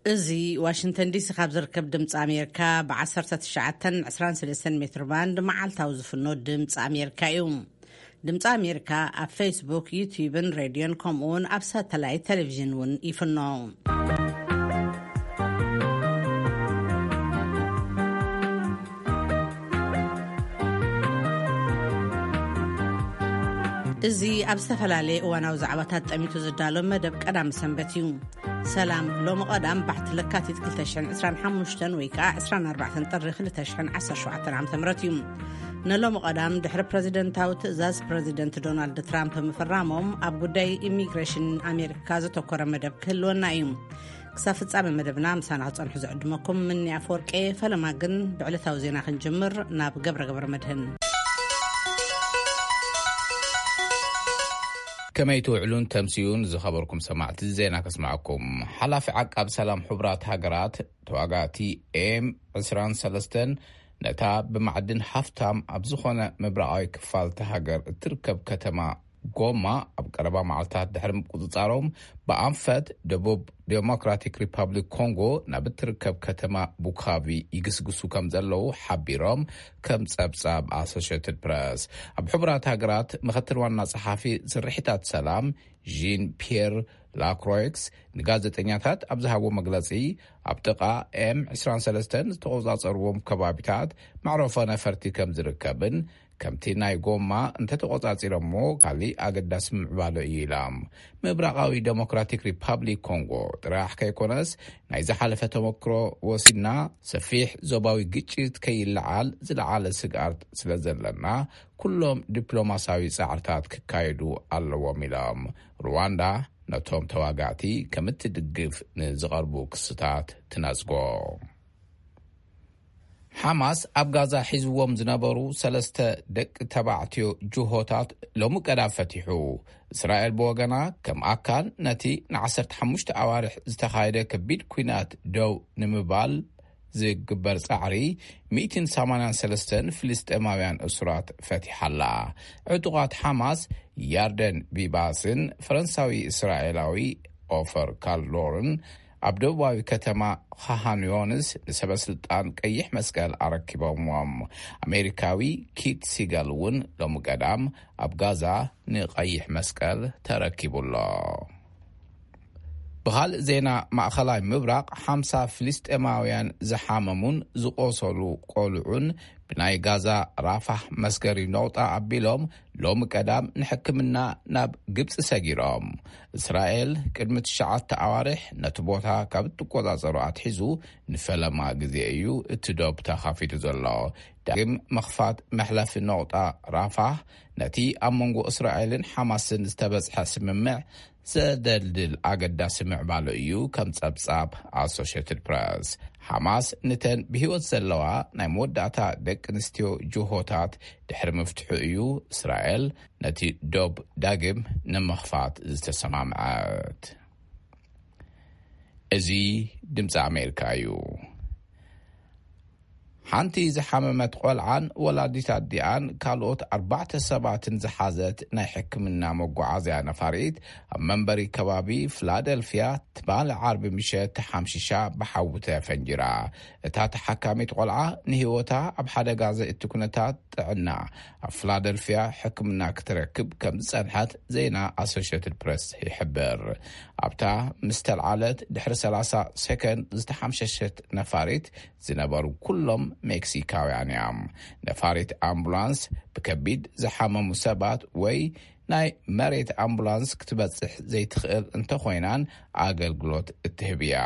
እዚ ዋሽንግተን ዲሲ ካብ ዝርከብ ድምፂ ኣሜሪካ ብ19 23 ሜትር ባንድ መዓልታዊ ዝፍኖ ድምፂ ኣሜሪካ እዩ። ድምፂ ኣሜሪካ ኣብ ፌስቡክ፣ ዩቲዩብን ሬድዮን፣ ከምኡ እውን ኣብ ሳተላይት ቴሌቪዥን እውን ይፍኖ። እዚ ኣብ ዝተፈላለየ እዋናዊ ዛዕባታት ጠሚቱ ዝዳሎ መደብ ቀዳም ሰንበት እዩ። ሰላም፣ ሎሚ ቀዳም ባሕቲ ለካቲት ክልተ ሽሕን ዕስራን ሓሙሽተን ወይ ከዓ ዕስራን ኣርባዕተን ጥሪ ክልተ ሽሕን ዓሰርተ ሸውዓተን ዓመተ ምህረት እዩ። ንሎሚ ቀዳም ድሕሪ ፕረዚደንታዊ ትእዛዝ ፕረዚደንት ዶናልድ ትራምፕ ምፍራሞም ኣብ ጉዳይ ኢሚግሬሽን ኣሜሪካ ዘተኮረ መደብ ክህልወና እዩ። ክሳብ ፍጻመ መደብና ምሳና ክጸንሑ ዝዕድመኩም ምኒ ኣፈወርቄ። ፈለማ ግን ብዕለታዊ ዜና ክንጅምር ናብ ገብረ ገብረ መድህን። ከመይ ትውዕሉን ተምስዩን ዝኸበርኩም ሰማዕቲ ዜና ከስማዕኩም። ሓላፊ ዓቃብ ሰላም ሕቡራት ሃገራት ተዋጋእቲ ኤም ዕስራን ሰለስተን ነታ ብማዕድን ሃፍታም ኣብ ዝኾነ ምብራቓዊ ክፋል እታ ሃገር እትርከብ ከተማ ጎማ ኣብ ቀረባ መዓልታት ድሕሪ ምቁጽጻሮም ብኣንፈት ደቡብ ዴሞክራቲክ ሪፐብሊክ ኮንጎ ናብ እትርከብ ከተማ ቡካቪ ይግስግሱ ከም ዘለዉ ሓቢሮም ከም ጸብጻብ ኣሶሽየትድ ፕረስ። ኣብ ሕቡራት ሃገራት ምኽትል ዋና ጸሓፊ ስርሒታት ሰላም ዢን ፒየር ላክሮይክስ ንጋዜጠኛታት ኣብ ዝሃቦ መግለጺ፣ ኣብ ጥቓ ኤም ዕስራን ሰለስተን ዝተቖጻጸርዎም ከባቢታት መዕረፎ ነፈርቲ ከም ዝርከብን ከምቲ ናይ ጎማ እንተተቖጻጺሮሞ ካሊእ ኣገዳሲ ምዕባሎ እዩ ኢላ። ምብራቓዊ ዴሞክራቲክ ሪፓብሊክ ኮንጎ ጥራሕ ከይኮነስ ናይ ዝሓለፈ ተመክሮ ወሲድና ሰፊሕ ዞባዊ ግጭት ከይለዓል ዝለዓለ ስግኣት ስለ ዘለና ኩሎም ዲፕሎማሳዊ ጻዕርታት ክካየዱ ኣለዎም ኢሎም። ሩዋንዳ ነቶም ተዋጋእቲ ከም እትድግፍ ንዝቐርቡ ክስታት ትነጽጎ። ሓማስ ኣብ ጋዛ ሒዝዎም ዝነበሩ ሰለስተ ደቂ ተባዕትዮ ጅሆታት ሎሚ ቀዳም ፈቲሑ። እስራኤል ብወገና ከም ኣካል ነቲ ን15 ኣዋርሕ ዝተኻየደ ከቢድ ኲናት ደው ንምባል ዝግበር ጻዕሪ ሚእትን ሰማንያን ሰለስተን ፍልስጤማውያን እሱራት ፈቲሓላ። ዕጡቓት ሓማስ ያርደን ቢባስን ፈረንሳዊ እስራኤላዊ ኦፈር ካልዶርን ኣብ ደቡባዊ ከተማ ኻሃን ዮንስ ንሰበ ስልጣን ቀይሕ መስቀል ኣረኪቦምዎም። ኣሜሪካዊ ኪት ሲገል እውን ሎሚ ቀዳም ኣብ ጋዛ ንቀይሕ መስቀል ተረኪቡ ኣሎ። ብኻልእ ዜና፣ ማእኸላይ ምብራቕ ሓምሳ ፍልስጤማውያን ዝሓመሙን ዝቆሰሉ ቆልዑን ብናይ ጋዛ ራፋህ መስገሪ ነቑጣ ኣቢሎም ሎሚ ቀዳም ንሕክምና ናብ ግብፂ ሰጊሮም። እስራኤል ቅድሚ ትሽዓተ ኣዋርሕ ነቲ ቦታ ካብ እትቆጻጸሮ ኣትሒዙ ንፈለማ ግዜ እዩ እቲ ዶብ ተኻፊቱ ዘሎ። ዳግም ምኽፋት መሕለፊ ነቑጣ ራፋህ ነቲ ኣብ መንጎ እስራኤልን ሓማስን ዝተበጽሐ ስምምዕ ዘደልድል ኣገዳሲ ምዕባሎ እዩ፣ ከም ጸብጻብ ኣሶሽየትድ ፕረስ። ሓማስ ንተን ብህይወት ዘለዋ ናይ መወዳእታ ደቂ ኣንስትዮ ጅሆታት ድሕሪ ምፍትሑ እዩ እስራኤል ነቲ ዶብ ዳግም ንምኽፋት ዝተሰማምዐት። እዚ ድምፂ ኣሜሪካ እዩ። ሓንቲ ዝሓመመት ቆልዓን ወላዲት ኣዲኣን ካልኦት ኣርባዕተ ሰባትን ዝሓዘት ናይ ሕክምና መጓዓዝያ ነፋሪት ኣብ መንበሪ ከባቢ ፊላደልፊያ ትማሊ ዓርቢ ምሸት ተሓምሺሻ ብሓዊ ተፈንጂራ። እታ ተሓካሚት ቆልዓ ንህይወታ ኣብ ሓደጋ ዘእቲ ኩነታት ጥዕና ኣብ ፊላደልፊያ ሕክምና ክትረክብ ከም ዝጸንሐት ዜና ኣሶሽየትድ ፕረስ ይሕብር። ኣብታ ምስ ተልዓለት ድሕሪ ሰላሳ ሰከንድ ዝተሓምሸሸት ነፋሪት ዝነበሩ ኩሎም ሜክሲካውያን እዮም። ነፋሪት ኣምቡላንስ ብከቢድ ዝሓመሙ ሰባት ወይ ናይ መሬት ኣምቡላንስ ክትበጽሕ ዘይትኽእል እንተኾይናን ኣገልግሎት እትህብ እያ።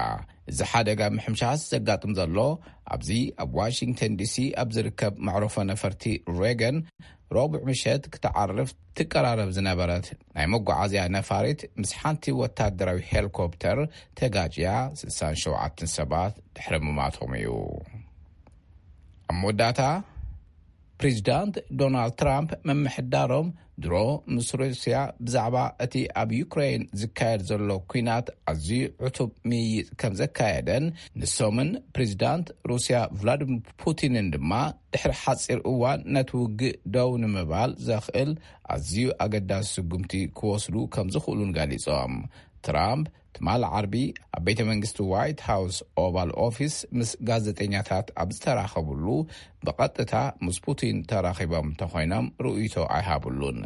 እዚ ሓደጋ ምሕምሻስ ዘጋጥም ዘሎ ኣብዚ ኣብ ዋሽንግተን ዲሲ ኣብ ዝርከብ መዕረፎ ነፈርቲ ሬገን ረቡዕ ምሸት ክትዓርፍ ትቀራረብ ዝነበረት ናይ መጓዓዝያ ነፋሪት ምስ ሓንቲ ወታደራዊ ሄሊኮፕተር ተጋጭያ ስሳን ሸውዓተን ሰባት ድሕሪ ምማቶም እዩ። ኣብ መወዳእታ፣ ፕሬዚዳንት ዶናልድ ትራምፕ ምምሕዳሮም ድሮ ምስ ሩስያ ብዛዕባ እቲ ኣብ ዩክሬን ዝካየድ ዘሎ ኲናት ኣዝዩ ዕቱብ ምይይጥ ከም ዘካየደን ንሶምን ፕሬዚዳንት ሩስያ ቭላዲሚር ፑቲንን ድማ ድሕሪ ሓጺር እዋን ነቲ ውግእ ደው ንምባል ዘኽእል ኣዝዩ ኣገዳሲ ስጉምቲ ክወስዱ ከም ዝኽእሉን ገሊጾም። ትራምፕ ትማሊ ዓርቢ ኣብ ቤተ መንግስቲ ዋይት ሃውስ ኦቫል ኦፊስ ምስ ጋዜጠኛታት ኣብ ዝተራኸብሉ፣ ብቐጥታ ምስ ፑቲን ተራኺቦም እንተኾይኖም ርእይቶ ኣይሃብሉን።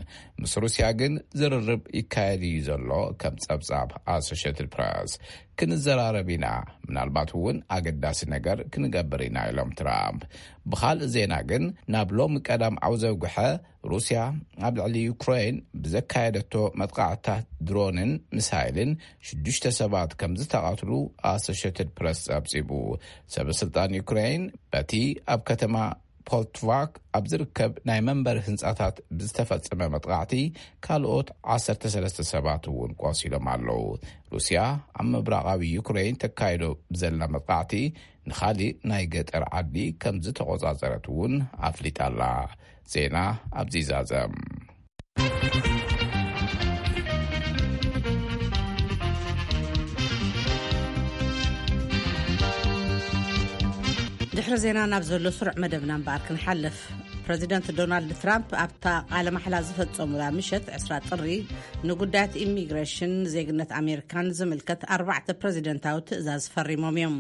ምስ ሩስያ ግን ዝርርብ ይካየድ እዩ ዘሎ። ከም ጸብጻብ ኣሶሽትድ ፕረስ፣ ክንዘራረብ ኢና፣ ምናልባት እውን ኣገዳሲ ነገር ክንገብር ኢና፣ ኢሎም ትራምፕ። ብኻልእ ዜና ግን፣ ናብ ሎሚ ቀዳም ዓውዘውግሐ፣ ሩስያ ኣብ ልዕሊ ዩክሬን ብዘካየደቶ መጥቃዕትታት ድሮንን ሚሳይልን ሽዱሽተ ሰባት ከም ዝተቐትሉ ኣሶሽትድ ፕረስ ጸብጺቡ። ሰበስልጣን ዩክሬን በቲ ኣብ ከተማ ፖልትቫክ ኣብ ዝርከብ ናይ መንበሪ ህንጻታት ብዝተፈጸመ መጥቃዕቲ ካልኦት ዓሰርተ ሰለስተ ሰባት እውን ቆሲሎም ኣለዉ። ሩስያ ኣብ ምብራቓዊ ዩክሬን ተካይዶ ብዘላ መጥቃዕቲ ንኻሊእ ናይ ገጠር ዓዲ ከም ዝተቖጻጸረት እውን ኣፍሊጣ ኣላ። ዜና ኣብዚ ዛዘም። ድሕሪ ዜና ናብ ዘሎ ስሩዕ መደብና እምበኣር ክንሓልፍ። ፕረዚደንት ዶናልድ ትራምፕ ኣብታ ቃለ ማሕላ ዝፈጸሙላ ምሸት ዕስራ ጥሪ፣ ንጉዳያት ኢሚግሬሽን፣ ዜግነት ኣሜሪካን ዝምልከት ኣርባዕተ ፕረዚደንታዊ ትእዛዝ ፈሪሞም እዮም።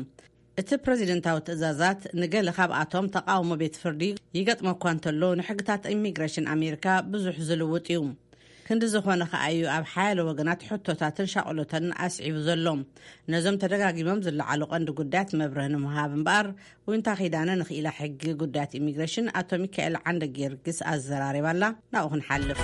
እቲ ፕረዚደንታዊ ትእዛዛት ንገለ ካብኣቶም ተቓውሞ ቤት ፍርዲ ይገጥሞ እኳ እንተሎ፣ ንሕግታት ኢሚግሬሽን ኣሜሪካ ብዙሕ ዝልውጥ እዩ። ክንዲ ዝኾነ ከኣ እዩ ኣብ ሓያሎ ወገናት ሕቶታትን ሻቕሎትን ኣስዒቡ ዘሎ። ነዞም ተደጋጊሞም ዝለዓሉ ቀንዲ ጉዳያት መብርህ ንምሃብ እምበኣር፣ ዊንታ ኪዳነ ንኽኢላ ሕጊ ጉዳያት ኢሚግሬሽን ኣቶ ሚካኤል ዓንደ ጊዮርጊስ ኣዘራሪባ ኣላ። ናብኡ ክንሓልፍ።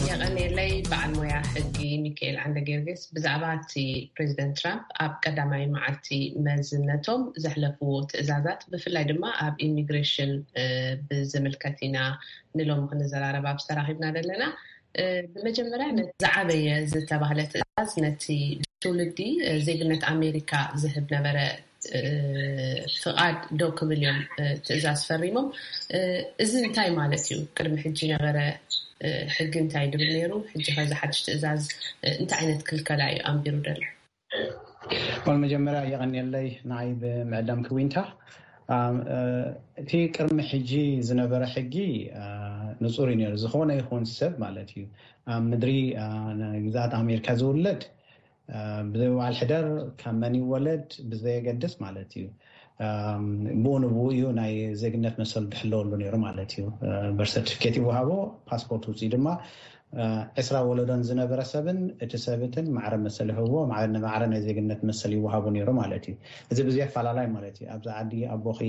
የቐንየለይ በዓል ሞያ ሕጊ ሚካኤል ዓንደ ጊዮርጊስ። ብዛዕባ እቲ ፕሬዚደንት ትራምፕ ኣብ ቀዳማይ መዓልቲ መዝነቶም ዘሕለፍዎ ትእዛዛት፣ ብፍላይ ድማ ኣብ ኢሚግሬሽን፣ እ፣ ብዝምልከት ኢና ንሎሚ ክንዘራረብ ኣብዚ ተራኺብና ዘለና። እ፣ ብመጀመርያ፣ ነቲ ዝዓበየ ዝተባህለ ትእዛዝ፣ ነቲ ትውልዲ፣ እ፣ ዜግነት ኣሜሪካ ዝህብ ነበረ፣ እ፣ ፍቓድ ደው ክብል እዮም፣ እ፣ ትእዛዝ ፈሪሞም። እ፣ እዚ እንታይ ማለት እዩ? ቅድሚ ሕጂ ነበረ፣ እ፣ ሕጊ እንታይ ድብል ነይሩ? ሕጂ ከዚ ሓድሽ ትእዛዝ፣ እ፣ እንታይ ዓይነት ክልከላ እዩ ኣንቢሩ ዘሎ? ወል መጀመርያ የቐንየለይ ንዓይ ብምዕዳም ክዊንታ። ኣም፣ እ፣ እቲ ቅድሚ ሕጂ ዝነበረ ሕጊ፣ እ፣ ንጹር እዩ ነይሩ። ዝኾነ ይኹን ሰብ ማለት እዩ፣ ኣብ ምድሪ፣ እ፣ ግዛኣት ኣሜሪካ ዝውለድ፣ እ፣ ብዘይ በዓል ሕደር ካብ መን ይወለድ ብዘየገድስ ማለት እዩ፣ እ፣ ብኡ ንብኡ እዩ ናይ ዜግነት መሰሉ ዝሕለወሉ ነይሩ ማለት እዩ። እ፣ በርት ሰርቲፊኬት ይወሃቦ፣ ፓስፖርት ውፅኢ ድማ፣ እ፣ ዕስራ ወለዶን ዝነበረ ሰብን እቲ ሰብትን ማዕረ መሰል ይህብዎ፣ ማዕረ ንማዕረ ናይ ዜግነት መሰል ይወሃቦ ነይሩ ማለት እዩ። እዚ ብዘይ ኣፈላላይ ማለት እዩ። ኣብዚ ዓዲ ኣቦኺ፣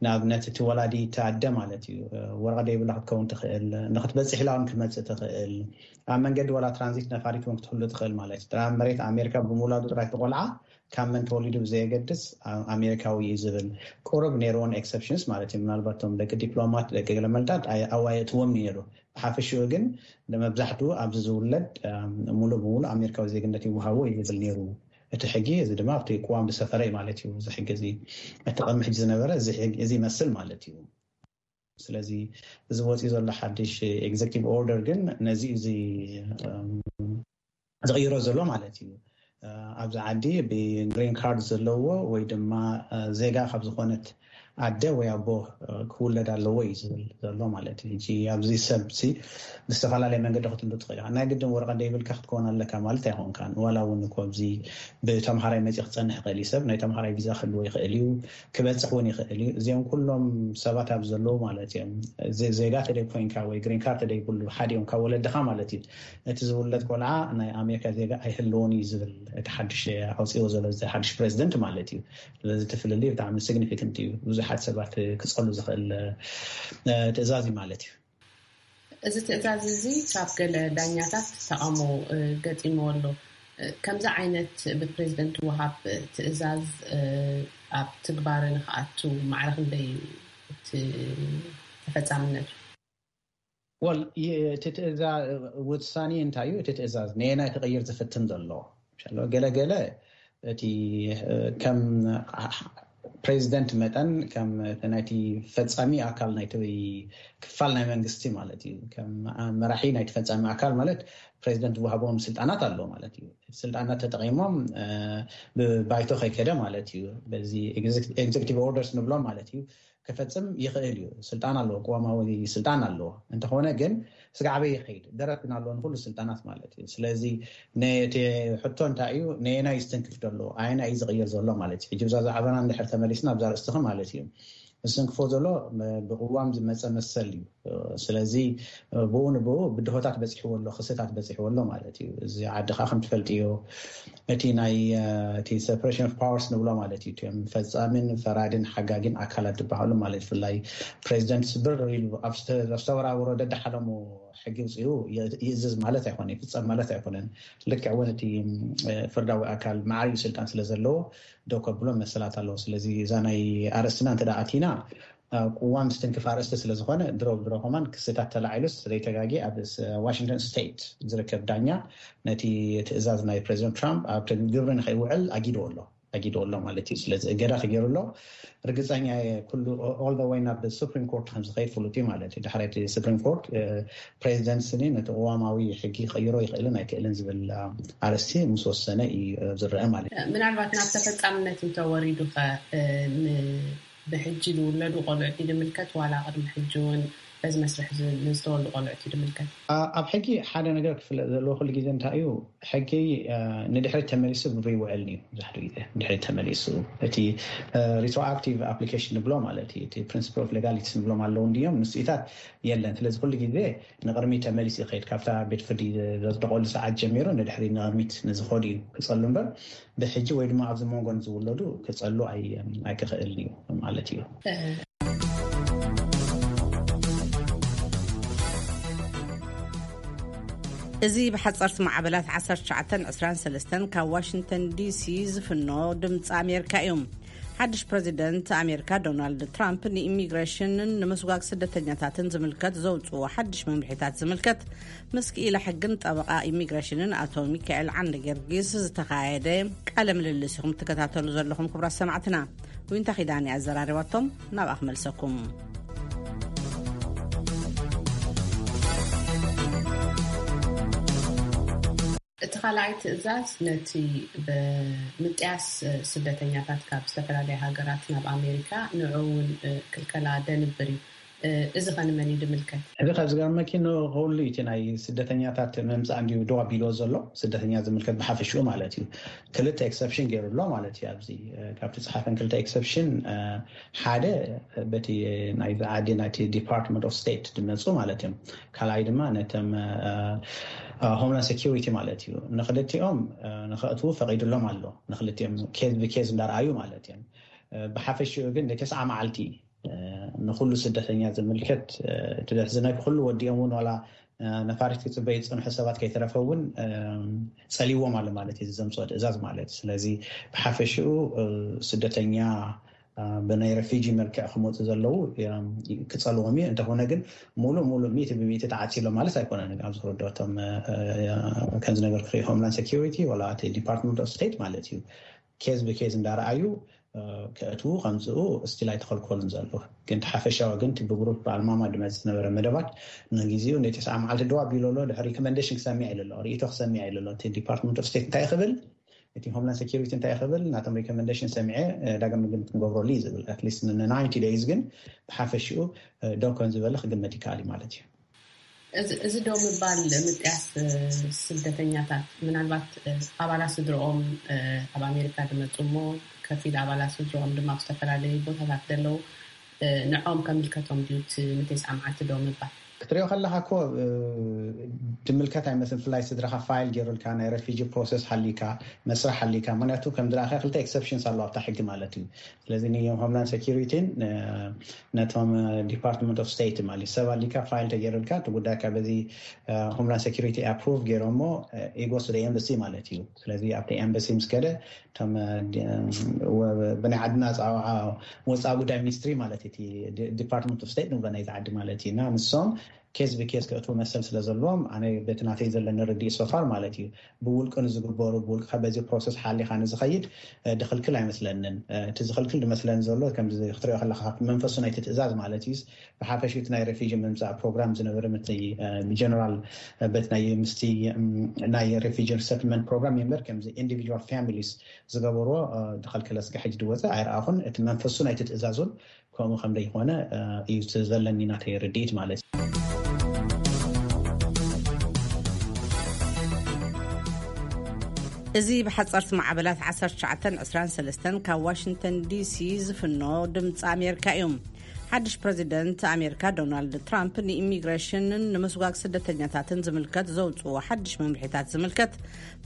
ንኣብነት እቲ ወላዲ፣ እቲ ኣደ ማለት እዩ፣ እ፣ ወረቐት ደይብላ ክትከውን ትኽእል፣ ንክትበፅሕ ኢላ እውን ክትመፅእ ትኽእል። ኣብ መንገዲ ዋላ ትራንዚት ነፋሪት እውን ክትህሉ ትኽእል ማለት እዩ። ጥራይ መሬት ኣሜሪካ ብምውላዱ ጥራይ እቲ ቆልዓ ካብ መን ተወሊዱ ብዘየገድስ፣ ኣ-፣ ኣሜሪካዊ እዩ ዝብል። ቁሩብ ነይርዎን ኤክሰፕሽንስ ማለት እዩ። ምናልባት እቶም ደቂ ዲፕሎማት፣ ደቂ ገለመልታት ኣይ-፣ ኣዋየእትዎም ነይሩ። ብሓፈሽኡ ግን ንመብዛሕትኡ ኣብዚ ዝውለድ፣ ኣም፣ ሙሉእ ብሙሉእ ኣሜሪካዊ ዜግነት ይወሃቦ እዩ ዝብል ነይሩ እቲ ሕጊ። እዚ ድማ ኣብቲ ቅዋም ዝሰፈረ እዩ ማለት እዩ። እዚ ሕጊ እዚ፣ እቲ ቅድሚ ሕጂ ዝነበረ እዚ ሕጊ፣ እዚ ይመስል ማለት እዩ። ስለዚ እዚ ወፂኡ ዘሎ ሓድሽ ኤግዜክቲቭ ኦርደር ግን ነዚ እዚ፣ ኣም፣ ዝቕይሮ ዘሎ ማለት እዩ። እ፣ ኣብዚ ዓዲ ብግሪን ካርድ ዘለዎ ወይ ድማ፣ እ፣ ዜጋ ካብ ዝኾነት ኣደ ወይ ኣቦ፣ እ፣ ክውለድ ኣለዎ እዩ ዝብል ዘሎ ማለት እዩ። ሕጂ ኣብዚ ሰብ ሲ ብዝተፈላለየ መንገዲ ክትህሉ ትኽእል ኢኻ። ናይ ግድን ወረቐት ዘይብልካ ክትከውን ኣለካ ማለት ኣይኮንካን። ዋላ እውን እኮ ኣብዚ ብተምሃራይ መፂኡ ክፀንሕ ይኽእል እዩ ሰብ። ናይ ተምሃራይ ቪዛ ክህልዎ ይኽእል እዩ። ክበፅሕ እውን ይኽእል እዩ። እዚኦም ኩሎም ሰባት ኣብ ዘለዉ ማለት እዮም። ዘ-፣ ዜጋ ተደይ ኮይንካ ወይ ግሪን ካርድ ተደይ ኩሉ ሓደ እዮም ካብ ወለድኻ ማለት እዩ። እቲ ዝውለድ ቆልዓ ናይ ኣሜሪካ ዜጋ ኣይህልዎን እዩ ዝብል እቲ ሓድሽ ኣውፅዎ ዘሎ እዚ ሓድሽ ፕሬዚደንት ማለት እዩ። ስለዚ እቲ ፍልልይ ብጣዕሚ ሲግኒፊካንት እዩ። ብዙሓት ሰባት ክፀሉ ዝኽእል፣ እ፣ ትእዛዝ እዩ ማለት እዩ። እዚ ትእዛዝ እዚ ካብ ገለ ዳኛታት ተቓውሞ፣ እ፣ ገጢምዎ ኣሎ። እ፣ ከምዚ ዓይነት ብፕሬዚደንት ወሃብ ትእዛዝ፣ እ፣ ኣብ ትግባረ ንኽኣቱ ማዕረ ክንደይ እዩ እቲ ተፈጻምነቱ? ወል፣ ይ-፣ እቲ ትእዛ-፣ ውሳኔ እንታይ እዩ? እቲ ትእዛዝ ነየናይ ክቕይር ዝፍትን ዘሎ? ምሻሎ፣ ገለ ገለ እቲ፣ እ፣ ከም ፕሬዚደንት መጠን፣ ከም እቲ ናይቲ ፈጻሚ ኣካል ናይቲ ክፋል ናይ መንግስቲ ማለት እዩ። ከም መራሒ ናይቲ ፈጻሚ ኣካል ማለት ፕሬዚደንት ዝወሃቦም ስልጣናት ኣሎ ማለት እዩ። ስልጣናት ተጠቂሞም ብባይቶ ከይከደ ማለት እዩ። በዚ ኤግዜክቲቭ ኦርደርስ ንብሎም ማለት እዩ፣ ክፈፅም ይኽእል እዩ። ስልጣን ኣለዎ፣ ቅዋማዊ ስልጣን ኣለዎ። እንተኾነ ግን ስጋዕበ ይኸይድ፣ ደረት ግን ኣለዎ ንኩሉ ስልጣናት ማለት እዩ። ስለዚ ነቲ ሕቶ እንታይ እዩ፣ ነየናይ ዝትንክፍ ዘሎ፣ ኣየናይ እዩ ዝቕይር ዘሎ ማለት እዩ። ሕጂ ብዛ ዛዕባና እንድሕር ተመሊስና ኣብዛ ርእስትኺ ማለት እዩ፣ ዝትንክፎ ዘሎ ብቅዋም ዝመፀ መሰል እዩ። ስለዚ ብኡ ንብኡ ብድሆታት በፂሕዎ ኣሎ፣ ክስታት በፂሕዎ ኣሎ ማለት እዩ። እዚ ዓዲ ከዓ ከም ትፈልጥዮ እቲ ናይ እቲ ሰፕሬሽን ኦፍ ፓወርስ ንብሎ ማለት እዩ። እቲኦም ፈፃሚን ፈራድን ሓጋጊን ኣካላት ዝበሃሉ ማለት ብፍላይ ፕሬዚደንት ስብር ኢሉ ኣብ ዝተወራወሮ ደድሓለሙ ሕጊ ውፅኡ ይእዝዝ ማለት ኣይኮነ፣ ይፍፀም ማለት ኣይኮነን። ልክዕ እውን እቲ ፍርዳዊ ኣካል ማዕሪኡ ስልጣን ስለ ዘለዎ ደው ከብሎ መሰላት ኣለዎ። ስለዚ እዛ ናይ ኣርእስትና እንተ ኣቲና ቅዋም ዝትንክፍ ኣርእስቲ ስለ ዝኾነ ድሮ ድሮ ከማን ክስታት ተላዒሉስ ዘይተጋጌ ኣብ ዋሽንግተን ስቴት ዝርከብ ዳኛ ነቲ ትእዛዝ ናይ ፕሬዚደንት ትራምፕ ኣብ ግብሪ ንኸይውዕል ኣጊድዎ ኣሎ ኣጊድዎ ኣሎ ማለት እዩ። ስለዚ እገዳ ተገይሩ ኣሎ። ርግፀኛ ኩሉ ኦል ወይ ናብ ሱፕሪም ኮርት ከም ዝኸይድ ፍሉጥ እዩ ማለት እዩ። ድሕሪ እቲ ሱፕሪም ኮርት ፕሬዚደንት ስኒ ነቲ ቅዋማዊ ሕጊ ክቕይሮ ይኽእልን ኣይክእልን ዝብል ኣርእስቲ ምስ ወሰነ እዩ ዝረአ ማለት እዩ። ምናልባት ናብ ተፈፃምነት እንተወሪዱ ኸ ብሕጂ ዝውለዱ ቆልዑት ድምልከት ዋላ ቅድሚ ሕጂ እውን በዚ መስርሕ ዝተወልዱ ቆልዑት ድምልከት? ኣብ ሕጂ ሓደ ነገር ክፍለጥ ዘለዎ ኩሉ ግዜ እንታይ እዩ፣ ሕጊ ንድሕሪት ተመሊሱ ግብሪ ይውዕል እዩ። ብዙሕ ግዜ ንድሕሪት ተመሊሱ እቲ ሪትሮኣክቲቭ ኣፕሊኬሽን ንብሎ ማለት እዩ፣ እቲ ፕሪንስፕል ኦፍ ሌጋሊቲስ ንብሎም ኣለዉ እንድዮም፣ ንስኢታት የለን። ስለዚ ኩሉ ግዜ ንቕድሚት ተመሊሱ ይኸይድ። ካብታ ቤት ፍርዲ ዘጽደቐሉ ሰዓት ጀሚሩ ንድሕሪት ንቕድሚት ንዝኸዱ እዩ ክጸሉ እምበር ብሕጂ ወይ ድማ ኣብዚ መንጎ ንዝውለዱ ክጸሉ ኣይክኽእልን እዩ ማለት እዩ። እዚ ብሓፀርቲ ማዕበላት ዓሰርተ ትሽዓተን ዕስራን ሰለስተን ካብ ዋሽንግተን ዲሲ ዝፍኖ ድምፂ ኣሜሪካ እዩ። ሓድሽ ፕረዚደንት ኣሜሪካ ዶናልድ ትራምፕ ንኢሚግሬሽንን ንምስጓግ ስደተኛታትን ዝምልከት ዘውፅዎ ሓድሽ መምርሒታት ዝምልከት ምስ ክኢላ ሕግን ጠበቓ ኢሚግሬሽንን ኣቶ ሚካኤል ዓንደ ጊዮርጊስ ዝተኻየደ ቃለ ምልልስ ኢኹም ትከታተሉ ዘለኹም ክቡራት ሰማዕትና። ዊንታ ኺዳን እያ ኣዘራሪባቶም። ናብኣ ክመልሰኩም። እቲ ካልኣይ ትእዛዝ ነቲ ብምጥያስ ስደተኛታት ካብ ዝተፈላለያ ሃገራት ናብ ኣሜሪካ ንዑ እውን ክልከላ ደንብር እዩ። እዚ ከ ንመን እዩ ዝምልከት? እዚ ካብ ዝገርመኪ ንኹሉ እቲ ናይ ስደተኛታት ምምፃእ እንድዩ ደው ኣቢልዎ ዘሎ፣ ስደተኛ ዝምልከት ብሓፈሽኡ ማለት እዩ። ክልተ ኤክሰፕሽን ገይሩ ኣሎ ማለት እዩ። ኣብዚ ካብቲ ፀሓፈን ክልተ ኤክሰፕሽን ሓደ በቲ ናይ ዓዲ ናይቲ ዲፓርትመንት ኦፍ ስቴት ዝመፁ ማለት እዮም። ካልኣይ ድማ ነቶም ሆምላንድ ሴኪሪቲ ማለት እዩ። ንክልቲኦም ንከእትዉ ፈቒዱሎም ኣሎ። ንክልቲኦም ኬዝ ብኬዝ እንዳረኣዩ ማለት እዮም። ብሓፈሽኡ ግን ንተስዓ መዓልቲ ንኩሉ ስደተኛ ዝምልከት እቲ ዘሕዝነኪ ኩሉ ወዲኦም እውን ዋላ ነፋሪት ክፅበዩ ዝፀንሑ ሰባት ከይተረፈ እውን ፀሊዎም ኣሎ ማለት እዩ፣ ዘምፅኦ ትእዛዝ ማለት እዩ። ስለዚ ብሓፈሽኡ ስደተኛ ብናይ ረፊጂ መልክዕ ክመፁ ዘለዉ ክፀልዎም እዩ። እንተኾነ ግን ሙሉእ ሙሉእ ሚእቲ ብሚእቲ ተዓፂሎ ማለት ኣይኮነን። ኣብዚ ክርድኦ እቶም ከም ዝነገርኩ ሆምላንድ ሴኪሪቲ ዋላ እቲ ዲፓርትመንት ኦፍ ስቴት ማለት እዩ ኬዝ ብኬዝ እንዳረኣዩ ከእትዉ ከምፅኡ ስቲል ኣይተኸልከሉን ዘለዉ። ግን እቲ ሓፈሻዊ ግን እቲ ብግሩፕ ኣልማማ ድመፅ ዝነበረ መደባት ንጊዜኡ ንተስዓ መዓልቲ ደው ኣቢሉ ኣሎ። ድሕሪ ሪኮመንዴሽን ክሰሚዕ ኢሉ ኣሎ፣ ርእይቶ ክሰሚዕ ኢሉ ኣሎ። እቲ ዲፓርትመንት ኦፍ ስቴት እንታይ ክብል፣ እቲ ሆምላንድ ሴኪሪቲ እንታይ ክብል፣ ናቶም ሪኮመንዴሽን ሰሚዐ ዳግም ግምት ክንገብረሉ እዩ ዝብል። ኣትሊስት ንናይንቲ ደይዝ ግን ብሓፈሽኡ ደው ከም ዝበለ ክግመት ይከኣል እዩ ማለት እዩ። እዚ ደው ምባል ምጥያስ ስደተኛታት ምናልባት ኣባላት ስድርኦም ኣብ ኣሜሪካ ዝመፁ እሞ ከፊል ኣባላት ስድርኦም ድማ ኣብ ዝተፈላለዩ ቦታታት ዘለዉ ንዖም ከምልከቶም ድዩ እቲ ንተስዓ መዓልቲ ደው ምባል? ክትሪኦ ከለካ እኮ ድምልከት ኣይመስልን። ብፍላይ ስድራካ ፋይል ገይሩልካ ናይ ረፊጂ ፕሮሰስ ሃሊካ መስርሕ ሃሊካ፣ ምክንያቱ ከም ዝረኣካ ክልተ ኤክሰፕሽንስ ኣለዋ ኣብታ ሕጊ ማለት እዩ። ስለዚ ንሆምላንድ ሴኪሪቲን ነቶም ዲፓርትመንት ኦፍ ስቴት ማለት ሰብ ኣሊካ ፋይል ተገይሩልካ እቲ ጉዳይካ በዚ ሆምላንድ ሴኪሪቲ ኣፕሩቭ ገይሮሞ ኢጎስ ደ ኤምበሲ ማለት እዩ። ስለዚ ኣብቲ ኤምበሲ ምስ ከደ እቶም ብናይ ዓድና ወፃኢ ጉዳይ ሚኒስትሪ ማለት እቲ ዲፓርትመንት ኦፍ ስቴት ንብሎ ናይዚ ዓዲ ማለት እዩ እና ንሶም ኬዝ ብኬዝ ክእትዉ መሰል ስለ ዘለዎም፣ ኣነ በቲ ናተይ ዘለኒ ርድኢት ሶፋር ማለት እዩ፣ ብውልቂ ንዝግበሩ፣ ብውልቅኻ በዚ ፕሮሰስ ሓሊኻ ንዝኸይድ ድኽልክል ኣይመስለንን። እቲ ዝኽልክል ዝመስለኒ ዘሎ ከምዚ ክትሪኦ ከለኻ፣ መንፈሱ ናይቲ ትእዛዝ ማለት እዩ፣ ብሓፈሽ እቲ ናይ ሬፊጂ ምምፃእ ፕሮግራም ዝነበረ፣ ምስ ብጀነራል በቲ ናይ ምስቲ ናይ ሬፊጂ ሪሰትልመንት ፕሮግራም እምበር ከምዚ ኢንዲቪጁዋል ፋሚሊስ ዝገበርዎ ድኸልከለ ስጋ ሕጂ ድወፀ ኣይረኣኹን። እቲ መንፈሱ ናይቲ ትእዛዝ እውን ከምኡ ከም ዘይኮነ እዩ እቲ ዘለኒ ናተይ ርድኢት ማለት እዩ። እዚ ብሓፀርቲ ማዕበላት ዓሰርተ ትሽዓተን ዕስራን ሰለስተን ካብ ዋሽንግተን ዲሲ ዝፍኖ ድምፂ ኣሜሪካ እዩ። ሓድሽ ፕረዚደንት ኣሜሪካ ዶናልድ ትራምፕ ንኢሚግሬሽንን ንምስጓግ ስደተኛታትን ዝምልከት ዘውፅዎ ሓድሽ መምርሒታት ዝምልከት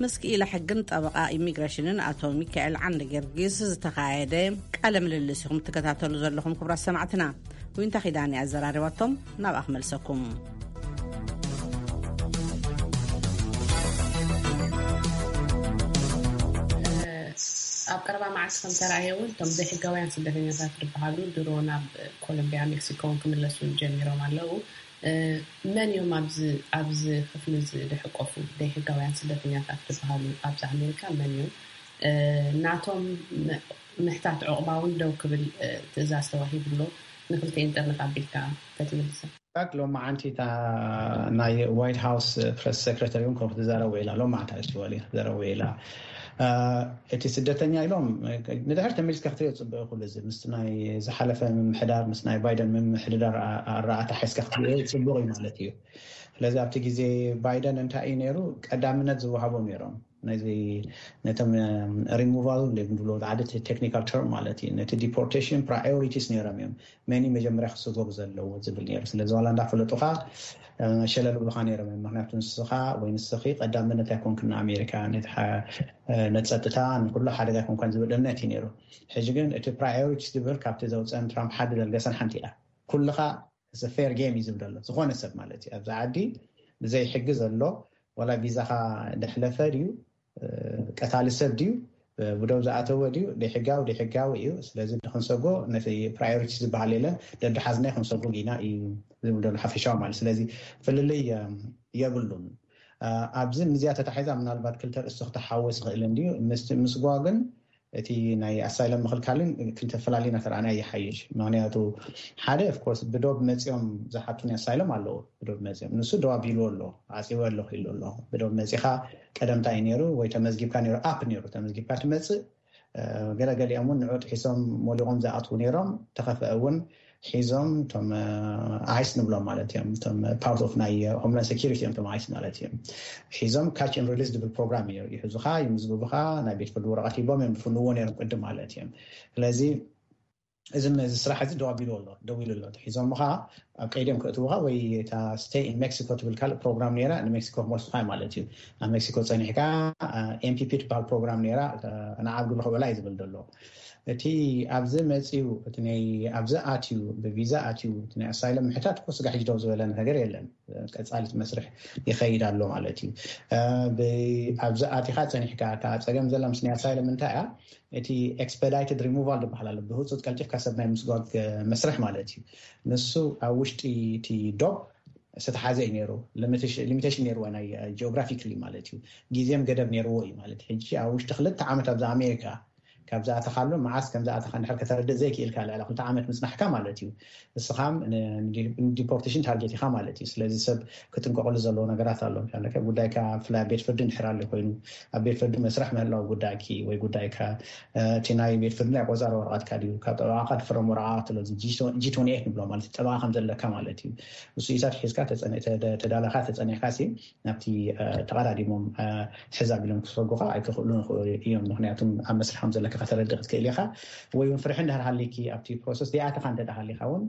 ምስ ክኢላ ሕግን ጠበቓ ኢሚግሬሽንን ኣቶ ሚካኤል ዓንደ ጊዮርጊስ ዝተኻየደ ቃለ ምልልስ ኢኹም ትከታተሉ ዘለኹም ክቡራት ሰማዕትና። ዊንታ ኪዳን እያ ኣዘራሪባቶም። ናብኣ ክመልሰኩም። ኣብ ቀረባ መዓልቲ ከም ተራእየ እውን እቶም ዘይሕጋውያን ስደተኛታት ዝበሃሉ ድሮ ናብ ኮሎምቢያ ሜክሲኮ እውን ክምለሱ ጀሚሮም ኣለዉ። መን እዮም ኣብዚ ኣብዚ ክፍሊ እዚ ዝሕቆፉ ዘይሕጋውያን ስደተኛታት ዝበሃሉ ኣብዚ ኣሜሪካ መን እዮም? ናቶም ምሕታት ዕቑባ እውን ደው ክብል ትእዛዝ ተዋሂቡ ኣሎ። ንክልቲኤን ጥርንፍ ኣቢልካ ተትምልሰ። ሎማዓንቲ እታ ናይ ዋይት ሃውስ ፕረስ ሴክረተሪ እውን ከም ክትዛረቡ ኢላ ሎማዓንቲ ኣሽዋሊ ክትዛረቡ ኢላ። እቲ ስደተኛ ኢሎም ንድሕር ተመሊስካ ክትሪኦ ፅቡቅ ይኹሉ እዚ ምስ ናይ ዝሓለፈ ምምሕዳር ምስ ናይ ባይደን ምምሕዳር ኣረኣታ ሓይስካ ክትሪኦ ፅቡቅ እዩ ማለት እዩ። ስለዚ ኣብቲ ግዜ ባይደን እንታይ እዩ ነይሩ ቀዳምነት ዝወሃቦም ነይሮም ነዚ ነቶም ሪሙቫል ንብሎ ዓዲ ቴክኒካል ተርም ማለት እዩ። ነቲ ዲፖርቴሽን ፕራዮሪቲስ ነይሮም እዮም። መን መጀመርያ ክስጎግ ዘለዎ ዝብል ነይሩ። ስለዚ ዋላ እንዳፈለጡኻ ሸለል ብሉኻ ነይሮም እዮም። ምክንያቱ ንስኻ ወይ ንስኺ ቀዳምነት ኣይኮንክን ንኣሜሪካ ነቲ ነፀጥታ ንኩሉ ሓደጋ ኣይኮንካን ዝብል እምነት እዩ ነይሩ። ሕጂ ግን እቲ ፕራዮሪቲስ ዝብል ካብቲ ዘውፅአን ትራምፕ ሓዲ ዘልገሰን ሓንቲ እያ። ኩልኻ ፌር ጌም እዩ ዝብል ዘሎ ዝኾነ ሰብ ማለት እዩ ኣብዚ ዓዲ ብዘይ ሕጊ ዘሎ ዋላ ቪዛኻ ደሕለፈ ድዩ ቀታሊ ሰብ ድዩ ብደው ዝኣተወ ድዩ ደሕጋዊ ደሕጋዊ እዩ። ስለዚ ክንሰጎ ነቲ ፕራዮሪቲ ዝበሃል የለን ደድሓዝና ክንሰጎ ኢና እዩ ዝብል ዘሎ ሓፈሻዊ ማለት ስለዚ ፍልልይ የብሉን። ኣብዚ ምዚኣ ተታሒዛ ምናልባት ክልተ ርእሲ ክተሓወስ ይኽእል እንድዩ ምስጓግን እቲ ናይ ኣሳይለም ምኽልካልን ክልተ ፈላሊና ተረኣና ይሓይሽ። ምክንያቱ ሓደ ኦፍኮርስ ብዶብ መፂኦም ዝሓቱን ኣሳይለም ኣለዎ። ብዶብ መፂኦም ንሱ ደው ኣቢሉ ኣሎ ዓፂወ ኣለኹ ኢሉ ኣሎ። ብዶብ መፂኻ ቀደምታ እዩ ነይሩ ወይ ተመዝጊብካ ነይሩ ኣፕ ነይሩ ተመዝጊብካ ትመፅእ ገለገሊኦም እውን ንዑ ጥሒሶም ሞሊቖም ዝኣትዉ ነይሮም ተኸፍአ እውን ሒዞም ቶም ኣይስ ንብሎም ማለት እዮም ቶም ፓርት ኦፍ ናይ ሆምላንድ ሴኪሪቲ እዮም ቶም ኣይስ ማለት እዮም። ሒዞም ካች ን ሪሊስ ዝብል ፕሮግራም እዩ ይሕዙኻ ይምዝግቡኻ ናይ ቤት ፍርዲ ወረቐት ሂቦም እዮም ዝፍንዎ ነይሮም ቅድም ማለት እዮም። ስለዚ እዚ ነዚ ስራሕ እዚ ደው ኣቢሉ ኣሎ ደው ኢሉ ኣሎ ሒዞምኻ ኣብ ቀይድም ክእትውኻ ወይ እታ ስቴይ ን ሜክሲኮ ትብል ካልእ ፕሮግራም ነይራ ንሜክሲኮ ክመልሱኻ ማለት እዩ። ኣብ ሜክሲኮ ፀኒሕካ ኤምፒፒ ትበሃል ፕሮግራም ነይራ ንዓብ ግብሪ ክውዕላ እዩ ዝብል ዘሎ። እቲ ኣብዚ መፅዩ እቲ ናይ ኣብዚ ኣትዩ ብቪዛ ኣትዩ እቲ ናይ ኣሳይለም ምሕታት እኮ ስጋ ሕጂ ደው ዝበለ ነገር የለን። ቀፃሊት መስርሕ ይኸይድ ኣሎ ማለት እዩ። ኣብዚ ኣቲኻ ፀኒሕካ እታ ፀገም ዘላ ምስ ናይ ኣሳይለም እንታይ እያ እቲ ኤክስፐዳይትድ ሪሙቫል ዝበሃል ኣሎ ብህፁፅ ቀልጢፍካ ሰብ ናይ ምስጓግ መስርሕ ማለት እዩ። ንሱ ኣብ ውሽጢ እቲ ዶብ ዝተሓዘ እዩ ነይሩ። ሊሚቴሽን ነይርዎ ናይ ጂኦግራፊክሊ ማለት እዩ። ግዜም ገደብ ነይርዎ እዩ ማለት ሕጂ ኣብ ውሽጢ ክልተ ዓመት ኣብዚ ኣሜሪካ ካብ ዝኣተኻሉ መዓስ ከም ዝኣተኻ እንድሕር ከተረድእ ዘይክኢልካ ልዕሊ ክልተ ዓመት ምፅናሕካ ማለት እዩ። እስኻም ንዲፖርቴሽን ታርጌት ኢኻ ማለት እዩ። ስለዚ ሰብ ክጥንቀቕሉ ዘለዎ ነገራት ኣሎ። ጉዳይካ ብፍላይ ቤት ፍርዲ እንድሕር ኣሎ ኮይኑ ኣብ ቤት ፍርዲ መስርሕ ምህላው ጉዳይኪ ወይ ጉዳይካ እቲ ናይ ቤት ፍርዲ ናይ ቆፃሪ ወረቐትካ ድዩ ካብ ጠበቓኻ ትፍረም ወረቓቕት ኣሎ ጂ ትወንቲ ኤይት ንብሎ ማለት ጠበቓ ከም ዘለካ ማለት እዩ። እሱ ኢሳት ሒዝካ ተዳላኻ ተፀኒሕካ ናብቲ ተቐዳዲሞም ሕዛ ቢሎም ክሰጉኻ ኣይክኽእሉ ንኽእሉ እዮም። ምክንያቱም ኣብ መስርሕ ከም ዘለካ ከተረድእ ክትክእል ኢኻ። ወይ እውን ፍርሒ እንድሕር ሃሊኪ ኣብቲ ፕሮሰስ ዘይኣተኻ እንተ ሃሊኻ እውን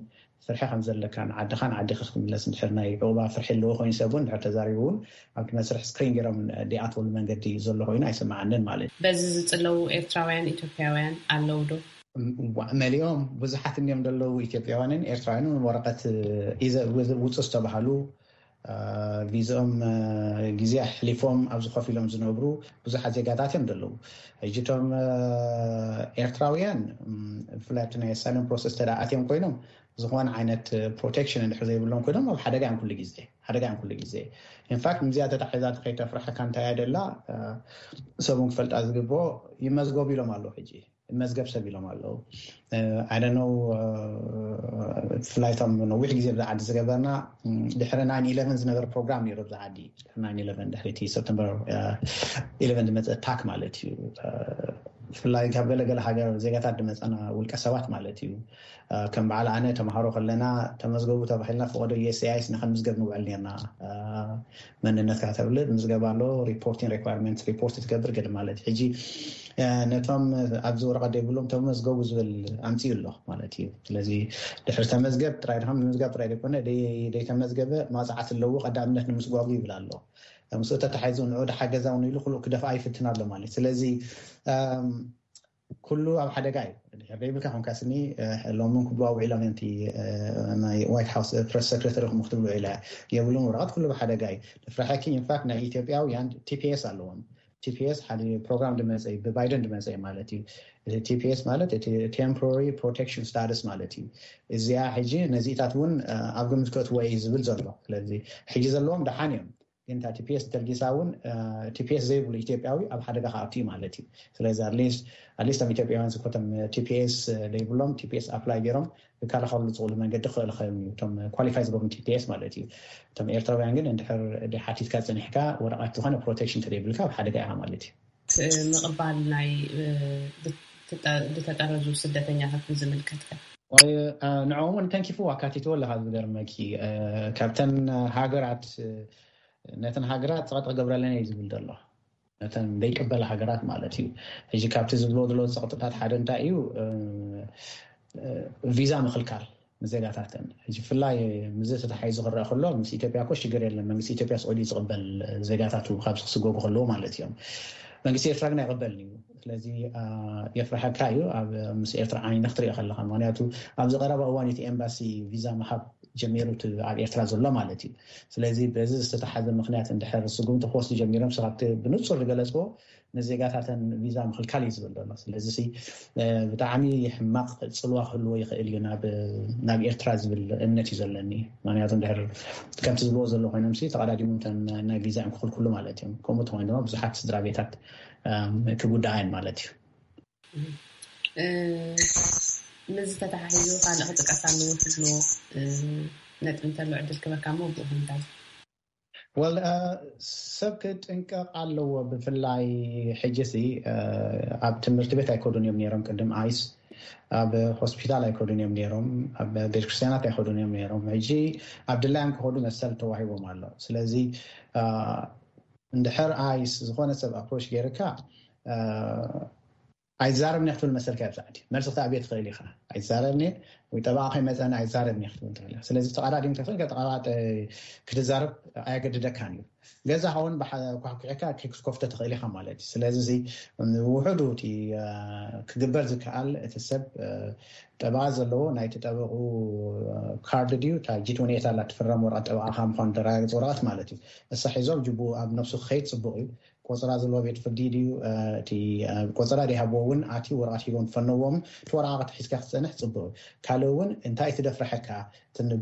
ፍርሒ ከም ዘለካ ንዓድኻ ንዓዲኻ ክትምለስ እንድሕር ናይ ዑባ ፍርሒ ኣለዎ ኮይኑ ሰብ እውን እንድሕር ተዛሪቡ እውን ኣብቲ መስርሕ ስክሪን ገይሮም ዲኣትወሉ መንገዲ ዘሎ ኮይኑ ኣይስምዓንን ማለት እዩ። በዚ ዝፅለዉ ኤርትራውያን ኢትዮጵያውያን ኣለዉ ዶ? መሊኦም ብዙሓት እንዲዮም ዘለዉ ኢትዮጵያውያንን ኤርትራውያንን ወረቐት ውፁ ዝተባሃሉ ቪዝኦም ግዜ ኣሕሊፎም ኣብዚ ኮፍ ኢሎም ዝነብሩ ብዙሓት ዜጋታት እዮም ዘለዉ። ሕጂ እቶም ኤርትራውያን ብፍላይ ኣብቲ ናይ ኣሳይለም ፕሮሰስ ተደኣ ኣትዮም ኮይኖም ዝኾነ ዓይነት ፕሮቴክሽን እንድሕር ዘይብሎም ኮይኖም ኣብ ሓደጋ እዮም ኩሉ ግዜ ሓደጋ እዮም ኩሉ ግዜ። ኢንፋክት ምዚኣ ተታሒዛ ከይተፍርሐካ እንታይ እያ ደላ ሰቡን ክፈልጣ ዝግብኦ ይመዝገቡ ኢሎም ኣለዉ። ሕጂ መዝገብ ሰብ ኢሎም ኣለዉ። ኣደነው ብፍላይ እቶም ነዊሕ ግዜ ብዛ ዓዲ ዝገበርና ድሕሪ ናይን ኢለቨን ዝነበረ ፕሮግራም ነይሩ ብዛ ዓዲ። ድሕሪ ናይን ኢለቨን ድሕሪቲ ሰፕተምበር ኢለቨን ዝመፀ ኣታክ ማለት እዩ። ብፍላይ ካብ ገለገለ ሃገር ዜጋታት ዝመፀና ውልቀ ሰባት ማለት እዩ። ከም በዓል ኣነ ተምሃሮ ከለና ተመዝገቡ ተባሂልና ፈቐዶ ዩኤስሲኣይኤስ ንከምዝገብ ንውዕል ነርና። መንነትካ ተብል ምዝገባ ኣሎ፣ ሪፖርቲንግ ሪኳርመንት ሪፖርት ትገብር ገለ ማለት ሕጂ ነቶም ኣብዚ ወረቐት ዘይብሎም ተመዝገቡ ዝብል ኣምፅኡ ኣሎ ማለት እዩ። ስለዚ ድሕሪ ተመዝገብ ጥራይ ድካ ምምዝጋብ ጥራይ ዘይኮነ ዘይተመዝገበ ማፅዓት ኣለዎ ቀዳምነት ንምስጓጉ ይብል ኣሎ። ምስኡ ተታሒዙ ንዑ ድሓገዛ እውን ኢሉ ክልኡ ክደፍኣ ይፍትን ኣሎ ማለት ስለዚ ኩሉ ኣብ ሓደጋ እዩ። ድሕር ዘይብልካ ኮንካ ስኒ ሎምን ክብሉ ኣውዒሎም እዮም። ናይ ዋይት ሃውስ ፕረስ ሰክረተሪ ክም ክትብሉ ኢለ የብሉን። ወረቐት ኩሉ ኣብ ሓደጋ እዩ። ድፍራሐኪ ኢንፋክት ናይ ኢትዮጵያውያን ቲፒኤስ ኣለዎም። ቲፒኤስ ሓደ ፕሮግራም ድመፀ ብባይደን ድመፀ ማለት እዩ። እቲ ቲፒኤስ ማለት እቲ ቴምፖራሪ ፕሮቴክሽን ስታትስ ማለት እዩ። እዚኣ ሕጂ ነዚታት እውን ኣብ ግምት ከእትዎ እዩ ዝብል ዘሎ። ስለዚ ሕጂ ዘለዎም ደሓን እዮም። ግን እታ ቲፒኤስ ተልጊሳ እውን ቲፒኤስ ዘይብሉ ኢትዮጵያዊ ኣብ ሓደጋ ክኣቱ እዩ ማለት እዩ። ስለዚ ኣትሊስት ኣትሊስት ኣብ ኢትዮጵያውያን ዝኮቶም ቲፒኤስ ዘይብሎም ቲፒኤስ ኣፕላይ ገይሮም ክከላኸሉ ዝኽእሉ መንገዲ ክኽእል ኸም እዩ እቶም ኳሊፋይ ዝገብሩ ቲፒኤስ ማለት እዩ። እቶም ኤርትራውያን ግን እንድሕር ሓቲትካ ፀኒሕካ ወረቐት ዝኾነ ፕሮቴክሽን ተዘይብልካ ኣብ ሓደጋ ኢኻ ማለት እዩ። ምቕባል ናይ ዝተጠረዙ ስደተኛታት ዝምልከትከ? ንዕኦም እውን ተንኪፉ ኣካቲትዎ ኣለካ። ዝገርመኪ ካብተን ሃገራት ነተን ሃገራት ፀቕጢ ክገብረለን እዩ ዝብል ዘሎ። ነተን ዘይቅበላ ሃገራት ማለት እዩ። ሕጂ ካብቲ ዝብሎ ዘሎ ፀቕጥታት ሓደ እንታይ እዩ? ቪዛ ምኽልካል ንዜጋታተን። ሕጂ ብፍላይ ምዚ ተታሓሒዙ ክረአ ከሎ ምስ ኢትዮጵያ እኮ ሽግር የለን። መንግስቲ ኢትዮጵያ ስዑዲ ዝቕበል ዜጋታቱ ካብዚ ክስጎጉ ከለዉ ማለት እዮም። መንግስቲ ኤርትራ ግን ኣይቕበልን እዩ። ስለዚ የፍርሐካ እዩ ኣብ ምስ ኤርትራ ዓይኒ ክትሪኦ ከለካ። ምክንያቱ ኣብዚ ቀረባ እዋን እቲ ኤምባሲ ቪዛ ምሃብ ጀሚሩ እቲ ኣብ ኤርትራ ዘሎ ማለት እዩ። ስለዚ በዚ ዝተተሓዘ ምክንያት እንድሕር ስጉምቲ ክወስዱ ጀሚሮም ስኻብቲ ብንፁር ዝገለፅዎ ንዜጋታተን ቪዛ ምክልካል እዩ ዝብል ዘሎ። ስለዚ ብጣዕሚ ሕማቕ ፅልዋ ክህልዎ ይኽእል እዩ ናብ ኤርትራ ዝብል እምነት እዩ ዘለኒ። ምክንያቱ ድሕር ከምቲ ዝብልዎ ዘሎ ኮይኖም ተቐዳዲሞም ናይ ቪዛ እዮም ክኽልክሉ ማለት እዮም። ከምኡ ተኮይኑ ድማ ብዙሓት ስድራ ቤታት ክጉዳኣየን ማለት እዩ። ምዚ ተተሓሒዙ ካልእ ክጥቀስ ኣለዎ ትብሎ ነጥቢ እንተሎ ዕድል ክበካ ሞ ብኡ ክንታይ ወል ሰብ ክጥንቀቕ ኣለዎ። ብፍላይ ሕጂ ሲ ኣብ ትምህርቲ ቤት ኣይከዱን እዮም ነይሮም ቅድም ኣይስ ኣብ ሆስፒታል ኣይከዱን እዮም ነይሮም፣ ኣብ ቤተክርስትያናት ኣይከዱን እዮም ነይሮም። ሕጂ ኣብ ድላዮም ክኸዱ መሰል ተዋሂቦም ኣሎ። ስለዚ እንድሕር ኣይስ ዝኾነ ሰብ ኣፕሮች ገይርካ ኣይዛረብን ክትብል መሰልካ ይብዛዕቲ መልሲ ክትኣብየ ትኽእል ኢኻ። ኣይዛረብን ወይ ጠበቓ ከይመፀኒ ኣይዛረብን ክትብል ትኽእል። ስለዚ ተቐዳዲም ተኽእል ጠበቓ ክትዛረብ ኣየገድደካን እዩ። ገዛ ኸውን ኳሕኩሕካ ክትከፍቶ ትኽእል ኢኻ ማለት እዩ። ስለዚ ውሕዱ እቲ ክግበር ዝከኣል እቲ ሰብ ጠበቓ ዘለዎ ናይቲ ጠበቑ ካርድ ድዩ እታ ጂት ሁኔታ ላ ትፍረም ወረቐት ጠበቓ ካብ ምኳኑ ተረጋግፅ ወረቐት ማለት እዩ። እሳ ሒዞም ጅቡ ኣብ ነብሱ ክኸይድ ፅቡቕ እዩ። ቆፅራ ዘለዎ ቤት ፍርዲ ድዩ እቲ ቆፅራ ዘይሃብዎ እውን ኣትዩ ወረቐት ሂቦም ዝፈነዎም እቲ ወረቓቕቲ ሒዝካ ክትፀንሕ ፅቡቕ እዩ። ካልእ እውን እንታይ ትደፍርሐካ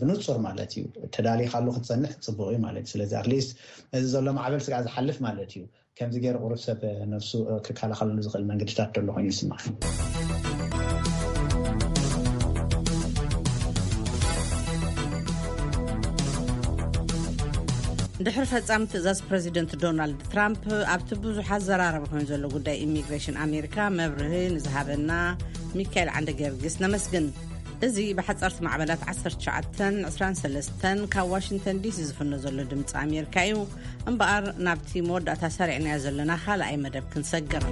ብንፁር ማለት እዩ ተዳሊኻሉ ክትፀንሕ ፅቡቕ እዩ ማለት እዩ። ስለዚ ኣትሊስት እዚ ዘሎ ማዕበል ስጋዕ ዝሓልፍ ማለት እዩ። ከምዚ ገይሩ ቁሩብ ሰብ ነብሱ ክከላኸለሉ ዝኽእል መንገድታት ዘሎ ኮይኑ ይስማዕ። ድሕሪ ፈጻሚ ትእዛዝ ፕረዚደንት ዶናልድ ትራምፕ ኣብቲ ብዙሓት ዘራረቢ ኮይኑ ዘሎ ጉዳይ ኢሚግሬሽን ኣሜሪካ መብርሂ ንዝሃበና ሚካኤል ዓንደ ጊዮርጊስ ነመስግን። እዚ ብሓጸርቲ ማዕበላት ዓሰርተ ትሽዓተን ዕስራን ሰለስተን ካብ ዋሽንግተን ዲሲ ዝፍኖ ዘሎ ድምፂ ኣሜሪካ እዩ። እምበኣር ናብቲ መወዳእታ ሰሪዕናዮ ዘለና ካልኣይ መደብ ክንሰግር።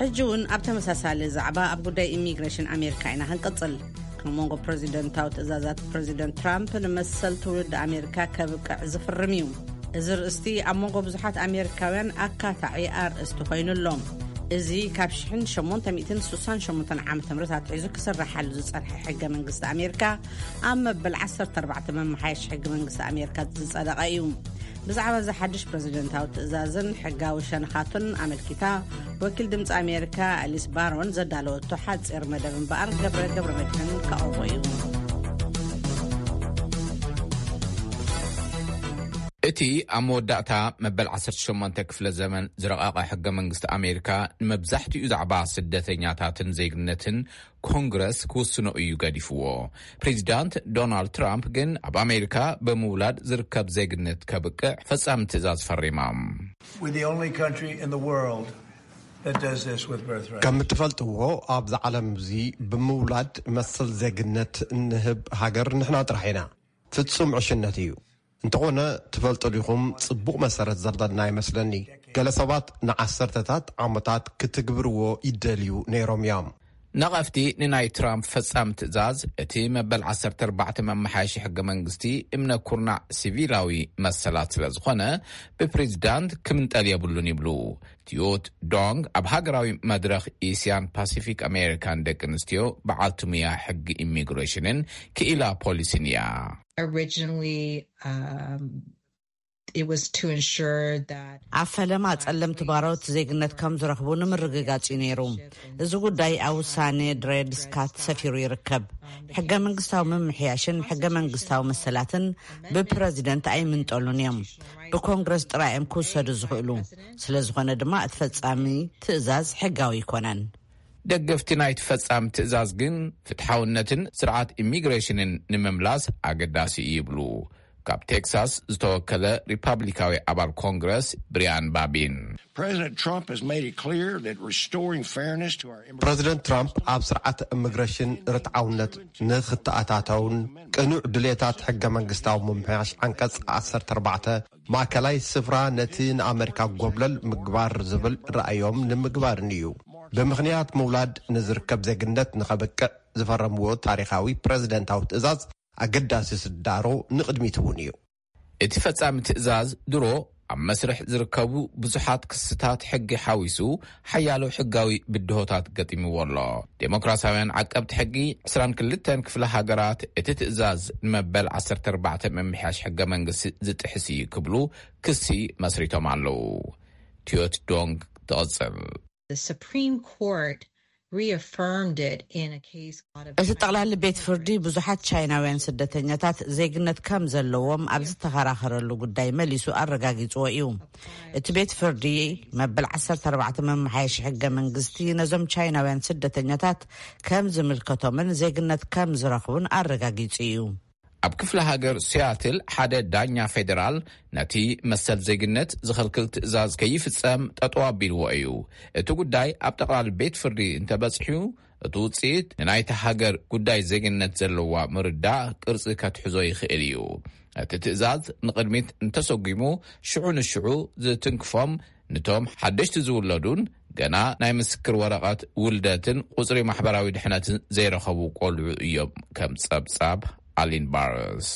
ሕጂ እውን ኣብ ተመሳሳሊ ዛዕባ ኣብ ጉዳይ ኢሚግሬሽን ኣሜሪካ ኢና ክንቅጽል። ካብ መንጎ ፕረዚደንታዊ ትእዛዛት ፕረዚደንት ትራምፕ ንመሰል ትውልዲ ኣሜሪካ ከብቅዕ ዝፍርም እዩ። እዚ ርእስቲ ኣብ መንጎ ብዙሓት ኣሜሪካውያን ኣካታዒ ኣርእስቲ ኮይኑ ኣሎ። እዚ ካብ ሽሕን ሸሞንተ ሚእትን ስሳን ሸሞንተን ዓመተ ምህረት ኣትሒዙ ክስርሓሉ ዝጸንሐ ሕገ መንግስቲ ኣሜሪካ፣ ኣብ መበል ዓሰርተ ኣርባዕተ መመሓየሽ ሕገ መንግስቲ ኣሜሪካ ዝጸደቐ እዩ። ብዛዕባ እዚ ሓድሽ ፕረዚደንታዊ ትእዛዝን ሕጋዊ ሸነኻቱን ኣመልኪታ፣ ወኪል ድምፂ ኣሜሪካ ኣሊስ ባሮን ዘዳለወቶ ሓፂር መደብ እምበኣር፣ ገብረ ገብረ መድሕን ከቕርቦ እዩ። እቲ ኣብ መወዳእታ መበል ዓሰርተ ሸሞንተ ክፍለ ዘመን ዝረቐቐ ሕገ መንግስቲ ኣሜሪካ፣ ንመብዛሕትኡ ዛዕባ ስደተኛታትን ዜግነትን ኮንግረስ ክውስኖ እዩ ገዲፍዎ። ፕሬዚዳንት ዶናልድ ትራምፕ ግን፣ ኣብ ኣሜሪካ ብምውላድ ዝርከብ ዜግነት ከብቅዕ ፈጻሚ ትእዛዝ ፈሪማ። We're the only country in the world that does this with birthright. ከም እትፈልጥዎ፣ ኣብዚ ዓለም እዚ ብምውላድ መሰል ዜግነት እንህብ ሃገር ንሕና ጥራሕ ኢና። ፍጹም ዕሽነት እዩ። እንተኾነ፣ ትፈልጡ ዲኹም፣ ጽቡቕ መሰረት ዘለና ይመስለኒ። ገለ ሰባት ንዓሰርተታት ዓመታት ክትግብርዎ ይደልዩ ነይሮም እዮም። ነቐፍቲ ንናይ ትራምፕ ፈጻሚ ትእዛዝ፣ እቲ መበል ዓሰርተ ኣርባዕተ መመሓየሺ ሕገ መንግስቲ እምነ ኩርናዕ ሲቪላዊ መሰላት ስለ ዝኾነ፣ ብፕሬዚዳንት ክምንጠል የብሉን ይብሉ። ቲዮት ዶንግ ኣብ ሃገራዊ መድረኽ ኤስያን ፓሲፊክ ኣሜሪካን ደቂ ኣንስትዮ በዓልቲ ሙያ ሕጊ ኢሚግሬሽንን ክኢላ ፖሊሲን እያ። Originally, um, it was to ensure that ኣብ ፈለማ ጸለምቲ ባሮት ዜግነት ከም ዝረኽቡ ንምርግጋጽ እዩ ነይሩ። እዚ ጉዳይ ኣብ ውሳኔ ድሬድ ስካት ሰፊሩ ይርከብ። ሕገ መንግስታዊ ምምሕያሽን ሕገ መንግስታዊ መሰላትን ብፕረዚደንት ኣይምንጠሉን እዮም። ብኮንግረስ ጥራይ እዮም ክውሰዱ ዝኽእሉ። ስለ ዝኾነ ድማ እቲ ፈጻሚ ትእዛዝ ሕጋዊ ኣይኮነን። ደገፍቲ ናይቲ ፈጻሚ ትእዛዝ ግን፣ ፍትሓውነትን ስርዓት ኢሚግሬሽንን ንምምላስ ኣገዳሲ እዩ ይብሉ። ካብ ቴክሳስ ዝተወከለ ሪፓብሊካዊ ኣባል ኮንግረስ ብሪያን ባቢን፣ President Trump has made it clear that restoring fairness to our immigration ፕረዚደንት ትራምፕ ኣብ ስርዓት ኢሚግሬሽን ርትዓውነት ንኽተኣታተውን ቅኑዕ ድሌታት ሕገ መንግስታዊ ምምሕያሽ ዓንቀጽ ዓሰርተ ኣርባዕተ ማእከላይ ስፍራ ነቲ ንኣመሪካ ጎብለል ምግባር ዝብል ራእዮም ንምግባርን እዩ። ብምኽንያት ምውላድ ንዝርከብ ዜግነት ንኸብቅዕ ዝፈረምዎ ታሪኻዊ ፕረዚደንታዊ ትእዛዝ ኣገዳሲ ስዳሮ ንቕድሚት እውን እዩ። እቲ ፈጻሚ ትእዛዝ ድሮ ኣብ መስርሕ ዝርከቡ ብዙሓት ክስታት ሕጊ ሓዊሱ ሓያሎ ሕጋዊ ብድሆታት ገጢምዎ ኣሎ። ዴሞክራሲያውያን ዓቀብቲ ሕጊ ዕስራን ክልተን ክፍለ ሃገራት እቲ ትእዛዝ ንመበል ዓሰርተ ኣርባዕተ ምምሕያሽ ሕገ መንግስቲ ዝጥሕስ እዩ ክብሉ ክሲ መስሪቶም ኣለዉ። ቲዮት ዶንግ ትቕጽል። The Supreme Court reaffirmed it in a case out of እቲ ጠቕላሊ ቤት ፍርዲ ብዙሓት ቻይናውያን ስደተኛታት ዜግነት ከም ዘለዎም ኣብ ዝተኸራኸረሉ ጉዳይ መሊሱ ኣረጋጊጽዎ እዩ። እቲ ቤት ፍርዲ መበል ዓሰርተ ኣርባዕተ መመሓየሺ ሕገ መንግስቲ ነዞም ቻይናውያን ስደተኛታት ከም ዝምልከቶምን ዜግነት ከም ዝረኽቡን ኣረጋጊጹ እዩ። ኣብ ክፍለ ሃገር ሲያትል ሓደ ዳኛ ፌዴራል ነቲ መሰል ዜግነት ዝኸልክል ትእዛዝ ከይፍጸም ጠጠው ኣቢልዎ እዩ። እቲ ጉዳይ ኣብ ጠቕላሊ ቤት ፍርዲ እንተበጽሑ፣ እቲ ውጽኢት ንናይቲ ሃገር ጉዳይ ዜግነት ዘለዋ ምርዳእ ቅርጺ ከትሕዞ ይኽእል እዩ። እቲ ትእዛዝ ንቕድሚት እንተሰጒሙ፣ ሽዑ ንሽዑ ዝትንክፎም፣ ንቶም ሓደሽቲ ዝውለዱን ገና ናይ ምስክር ወረቐት ውልደትን ቁጽሪ ማሕበራዊ ድሕነትን ዘይረኸቡ ቆልዑ እዮም፣ ከም ጸብጻብ ኣሊን ባርስ።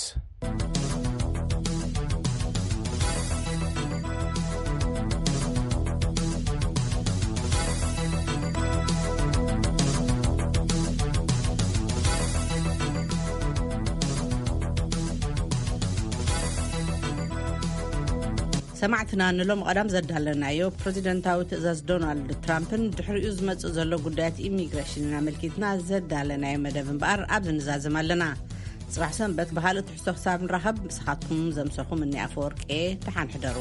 ሰማዕትና፣ ንሎም ቀዳም ዘዳለናዮ ፕረዚደንታዊ ትእዛዝ ዶናልድ ትራምፕን ድሕሪኡ ዝመጽእ ዘሎ ጉዳያት ኢሚግሬሽንን ኣመልኪትና ዘዳለናዮ መደብ እምበኣር ኣብዚ ንዛዝም ኣለና። ጽባሕ ሰንበት ብኻልእ ትሕዝቶ ክሳብ ንራኸብ፣ ምሳኻትኩም ዘምሰኹም እኒ ኣፈወርቄ፣ ደሓን ሕደሩ።